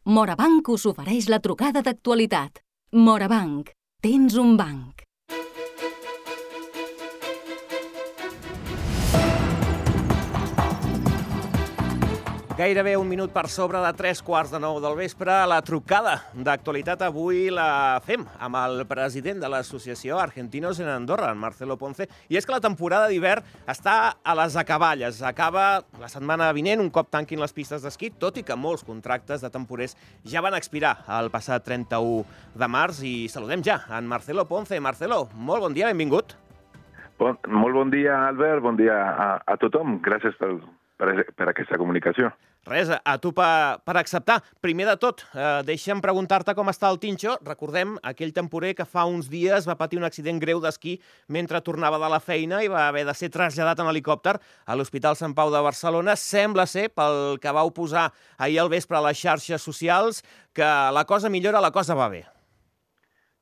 Morabanc us ofereix la trucada d'actualitat. Morabanc, tens un banc. Gairebé un minut per sobre de 3:15 del vespre. La trucada d'actualitat avui la fem amb el president de l'associació Argentinos en Andorra, en Marcelo Ponce. I és que la temporada d'hivern està a les acaballes. Acaba la setmana vinent, un cop tanquin les pistes d'esquí, tot i que molts contractes de temporers ja van expirar el passat 31 de març. I saludem ja en Marcelo Ponce. Marcelo, molt bon dia, benvingut. Molt bon dia, Albert. Bon dia a tothom. Gràcies per aquesta comunicació. Res, a tu per acceptar. Primer de tot, deixa'm preguntar-te com està el Tincho. Recordem aquell temporer que fa uns dies va patir un accident greu d'esquí mentre tornava de la feina i va haver de ser traslladat en helicòpter a l'Hospital Sant Pau de Barcelona. Sembla ser, pel que vau posar ahir al vespre a les xarxes socials, que la cosa millora, la cosa va bé.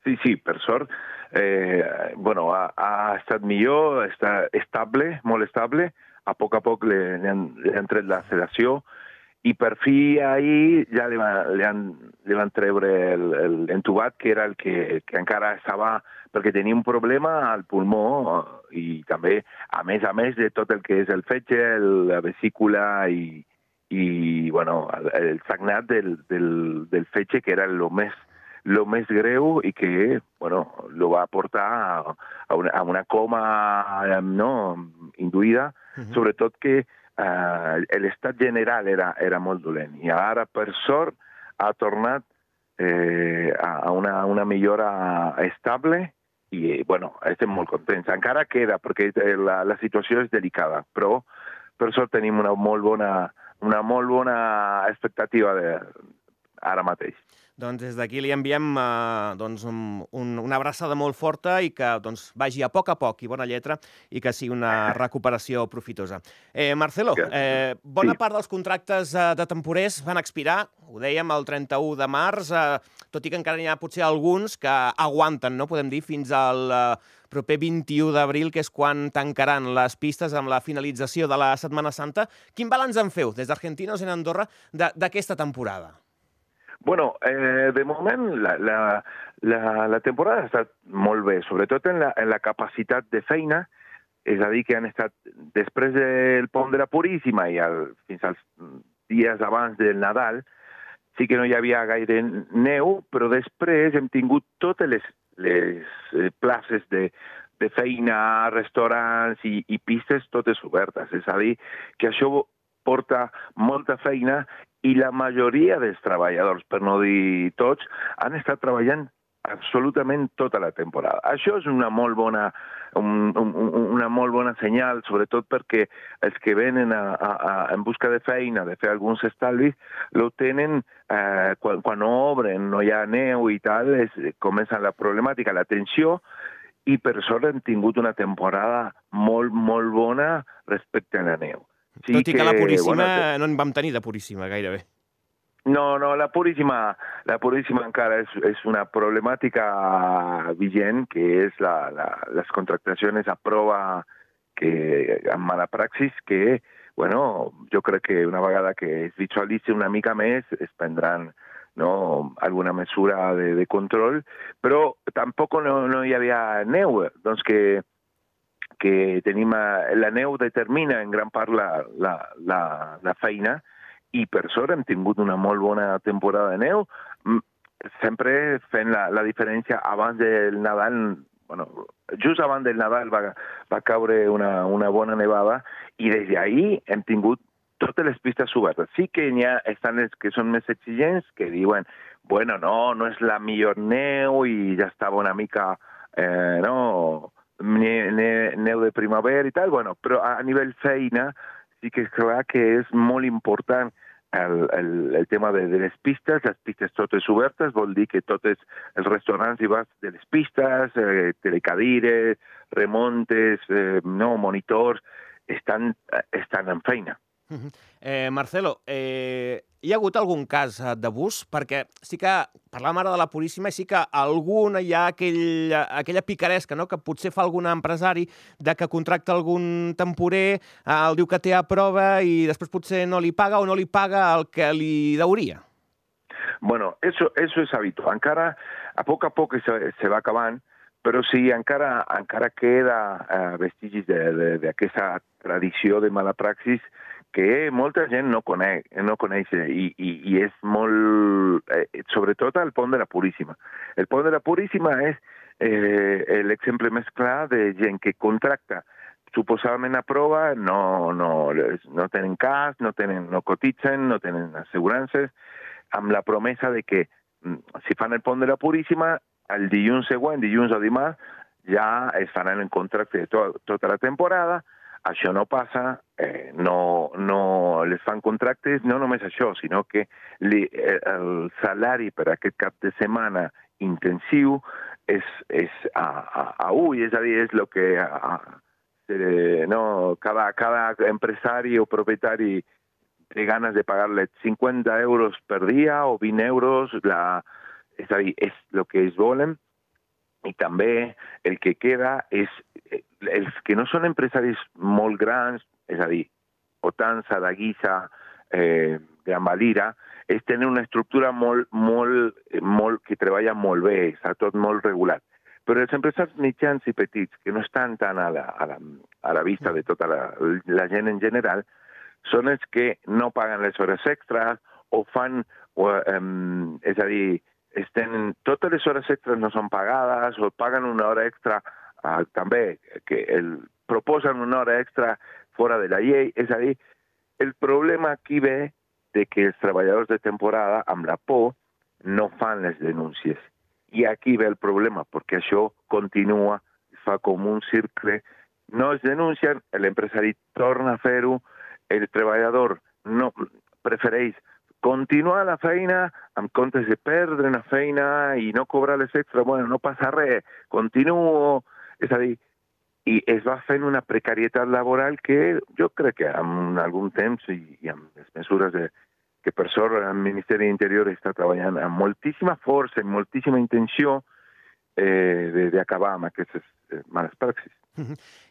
Sí, per sort. Ha estat millor, està estable, molt estable. A poc li han tret la sedació i per fi ahir ja li van treure l'entubat, que era el que encara estava, perquè tenia un problema al pulmó i també, a més de tot el que és el fetge, la vesícula i el sagnat del fetge, que era lo més greu i que, lo va portar a una coma induïda, sobretot que l'estat general era molt dolent. I ara, per sort, ha tornat a una millora estable i, estem molt contents. Encara queda, perquè la situació és delicada, però per sort tenim una molt bona expectativa ara mateix. Doncs des d'aquí li enviem una abraçada molt forta i que vagi a poc i bona lletra i que sigui una recuperació profitosa. Marcelo, bona part dels contractes de temporers van expirar, ho dèiem, el 31 de març, tot i que encara n'hi ha potser alguns que aguanten, no podem dir, fins al proper 21 d'abril, que és quan tancaran les pistes amb la finalització de la Setmana Santa. Quin balanç en feu des d'Argentinos en Andorra d'aquesta temporada? De moment la temporada ha estat molt bé, sobretot en la capacitat de feina, és a dir, que han estat després del pont de la Puríssima i fins als dies abans del Nadal, sí que no hi havia gaire neu, però després hem tingut totes les places de feina, restaurants i pistes totes obertes, és a dir, que això porta molta feina i la majoria dels treballadors, per no dir tots, han estat treballant absolutament tota la temporada. Això és una molt bona senyal, sobretot perquè els que venen en busca de feina, de fer alguns estalvis, lo tenen quan obren, no hi ha neu i tal, comença la problemàtica, la tensió, i per sort hem tingut una temporada molt, molt bona respecte a la neu. Tot i que la Puríssima no en vam tenir de Puríssima gairebé. No, la Puríssima encara és una problemàtica vigent, que és les contractacions a prova amb mala praxis, que, jo crec que una vegada que es visualitzi una mica més es prendran alguna mesura de control, però tampoc no hi havia neu, doncs que tenim, la neu determina en gran part la feina i per sort hem tingut una molt bona temporada de neu, sempre fent la diferència abans del Nadal, just abans del Nadal va caure una bona nevada i des d'ahir hem tingut totes les pistes obertes. Sí que n'hi ha estants que són més exigents, que diuen, no és la millor neu i ja estava una mica, neu de primavera i tal, però a nivell feina sí que és clar que és molt important el tema de les pistes totes obertes, vol dir que tots els restaurants i bars de les pistes, telecadires, remontes, monitors, estan en feina. Marcelo, hi ha hagut algun cas d'abús? Perquè sí que parlàvem ara de la Puríssima i sí que hi ha aquella picaresca, que potser fa algun empresari de que contracta algun temporer, el diu que té a prova i després potser no li paga o no li paga el que li hauria. Bueno, eso és habitual. Encara, a poc se va acabant, però sí, encara queda vestigis d'aquesta tradició de mala praxis que molta gent no coneix i és molt... sobretot al Pont de la Puríssima. El Pont de la Puríssima és l'exemple més clar de gent que contracta suposadament a prova, no tenen cas, no cotitzen, no tenen assegurances, amb la promesa de que si fan el Pont de la Puríssima, el dilluns següent, dilluns o dimarts, ja es faran el contracte de tota la temporada. Això no passa, no les fan contractes, no només això, sinó que el salari per aquest cap de setmana intensiu és a ull, és a dir, és el que cada empresari o propietari té ganes de pagar-le 50 euros per dia o 20 euros, és a dir, és el que ells volen. I també el que queda és els que no són empresaris molt grans, és a dir, Otansa, Daguisa, Gran Valira, és tenir una estructura que treballa molt bé, està tot molt regulat. Però els empresaris mitjans i petits, que no estan tan a la vista de tota la gent en general, són els que no paguen les hores extres o fan, és a dir, totes les hores extres no són pagades o paguen una hora extra també, que proposen una hora extra fora de la llei. És a dir, el problema aquí ve de que els treballadors de temporada, amb la por, no fan les denúncies. I aquí ve el problema, perquè això continua, fa com un cercle. No es denuncien, l'empresari torna a fer-ho, el treballador no prefereix continuar la feina en comptes de perdre una feina i no cobrar les extra. Bueno, no passa res, continuo. És a dir, i es va fent una precarietat laboral que jo crec que en algun temps i amb les mesures que per sort el Ministeri d'Interior està treballant amb moltíssima força i moltíssima intenció d'acabar amb aquestes males praxis.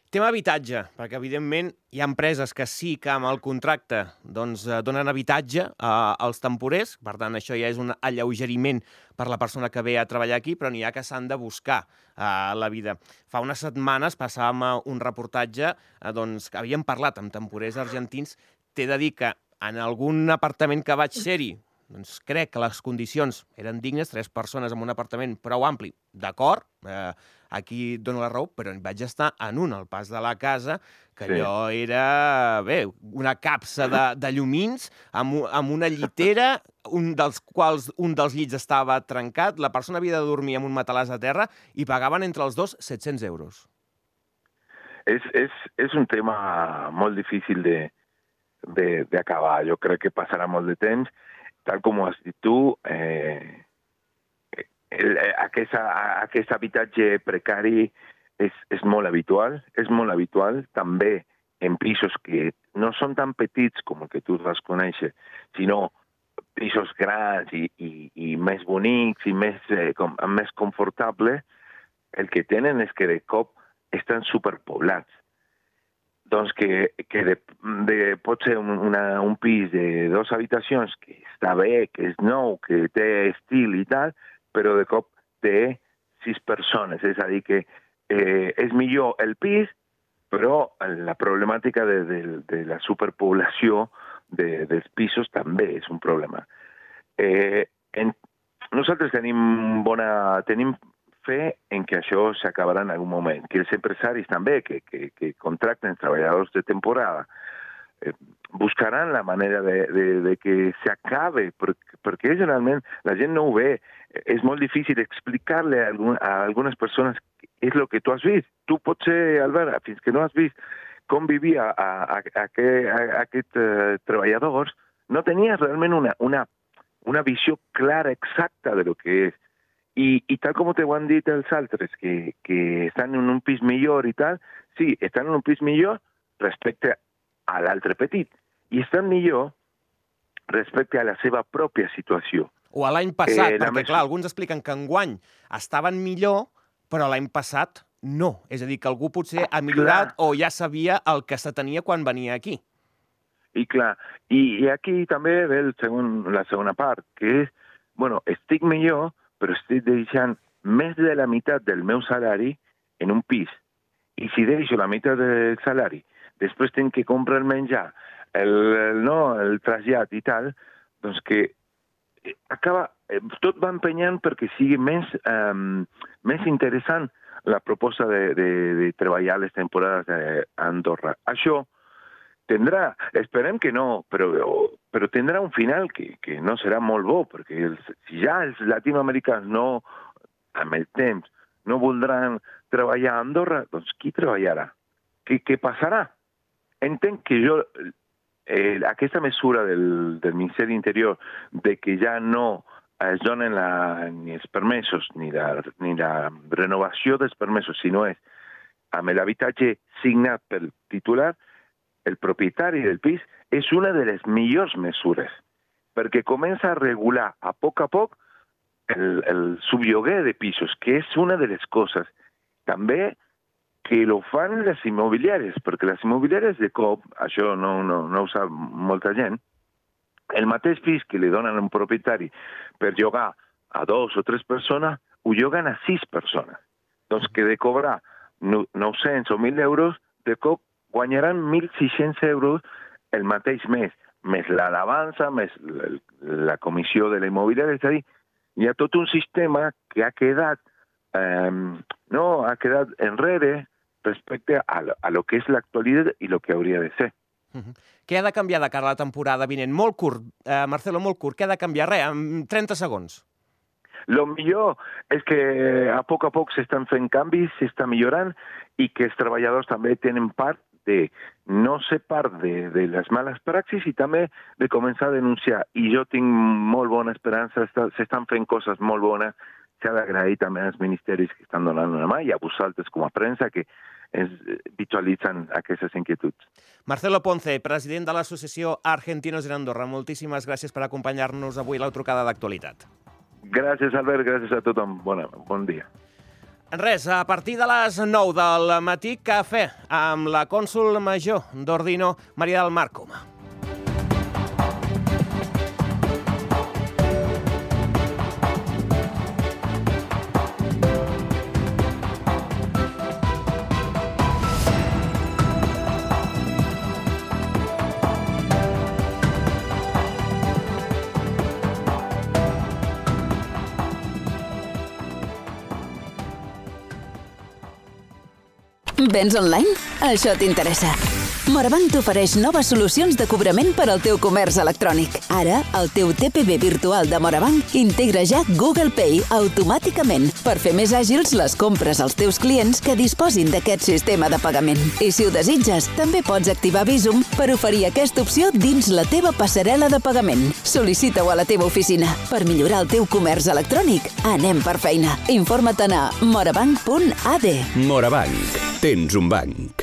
Tema habitatge, perquè evidentment hi ha empreses que sí que amb el contracte doncs, donen habitatge als temporers, per tant això ja és un alleugeriment per la persona que ve a treballar aquí, però n'hi ha que s'han de buscar la vida. Fa unes setmanes passàvem un reportatge doncs, que havíem parlat amb temporers argentins. T'he de dir que en algun apartament que vaig ser-hi, doncs crec que les condicions eren dignes, 3 persones en un apartament prou ampli, d'acord, aquí et dono la raó, però vaig estar en al pas de la casa, que allò era, una capsa de llumins amb una llitera, un dels llits estava trencat, la persona havia de dormir amb un matalàs a terra i pagaven entre els dos 700 euros. És un tema molt difícil d'acabar. Jo crec que passarà molt de temps. Tal com ho has dit tu, aquest habitatge precari és molt habitual. És molt habitual també en pisos que no són tan petits com el que tu vas conèixer, sinó pisos grans i més bonics i més confortables. El que tenen és que de cop estan superpoblats. Doncs que pot ser un pis de 2 habitacions que està bé, que és nou, que té estil i tal, però de cop té 6 persones. És a dir, que és millor el pis, però la problemàtica de la superpoblació dels pisos també és un problema. Nosaltres tenim fe en que això s'acabarà en algun moment, que els empresaris també que contracten treballadors de temporada buscaran la manera de que s'acabe, perquè generalment la gent no ho ve. És molt difícil explicar-li a algunes persones què és el que tu has vist. Tu potser, Albert, fins que no has vist com vivia aquests treballadors, no tenies realment una visió clara, exacta de lo que és. I tal com te ho han dit els altres, que estan en un pis millor i tal, sí, estan en un pis millor respecte a l'altre petit, i estan millor respecte a la seva pròpia situació. O a l'any passat, perquè clar, alguns expliquen que enguany estaven millor, però l'any passat no. És a dir, que algú potser ha millorat o ja sabia el que se tenia quan venia aquí. I clar, i aquí també ve la segona part, que és estic millor, però estic deixant més de la meitat del meu salari en un pis. I si deixo la meitat del salari, després tinc que comprar el menjar, el trasllat i tal, doncs que tot va empenyant perquè sigui més interessant la proposta de treballar les temporades a Andorra. Això esperem que no, però tindrà un final que no serà molt bo, perquè si ja els latinoamericans amb el temps, no voldran treballar a Andorra, doncs qui treballarà? Què passarà? Entenc que aquesta mesura del Ministeri d'Interior de que ja no es donen ni els permesos ni la renovació dels permesos, sinó és amb l'habitatge signat pel titular, el propietari del pis, és una de les millors mesures, perquè comença a regular a poc el sublloguer de pisos, que és una de les coses. També que lo fan les immobiliàries, perquè les immobiliàries de cop, això no ho sap molta gent, el mateix pis que li donen a un propietari per llogar a 2 o 3 persones, ho lloguen a 6 persones. Doncs que de cobrar 900 o 1.000 euros, de cop guanyaran 1.600 euros el mateix mes, més l'alabança, més la comissió de la immobiliària. És a dir, hi ha tot un sistema que ha quedat enrere respecte a lo que és l'actualitat i lo que hauria de ser. Què ha de canviar de cara a la temporada vinent? Molt curt, Marcelo, molt curt. Què ha de canviar? Res, en 30 segons. Lo millor és que a poc s'estan fent canvis, s'està millorant i que els treballadors també tenen part de no ser part de les males praxis i també de començar a denunciar. I jo tinc molt bona esperança, s'estan fent coses molt bones. S'ha d'agrair també als ministeris que estan donant una mà i a vosaltres com a premsa que ens visualitzen aquestes inquietuds. Marcelo Ponce, president de l'Associació Argentinos en Andorra, moltíssimes gràcies per acompanyar-nos avui a la trucada d'actualitat. Gràcies, Albert, gràcies a tothom. Bon dia. Res, a partir de les 9 del matí, cafè amb la cònsol major d'Ordino, Maria del Mar Coma. Vens online? Això t'interessa. Morabanc t'ofereix noves solucions de cobrament per al teu comerç electrònic. Ara, el teu TPV virtual de Morabanc integra ja Google Pay automàticament per fer més àgils les compres als teus clients que disposin d'aquest sistema de pagament. I si ho desitges, també pots activar Bizum per oferir aquesta opció dins la teva passarel·la de pagament. Sol·licita-ho a la teva oficina. Per millorar el teu comerç electrònic, anem per feina. Informa't a morabanc.ad. Morabanc. Tens un banc.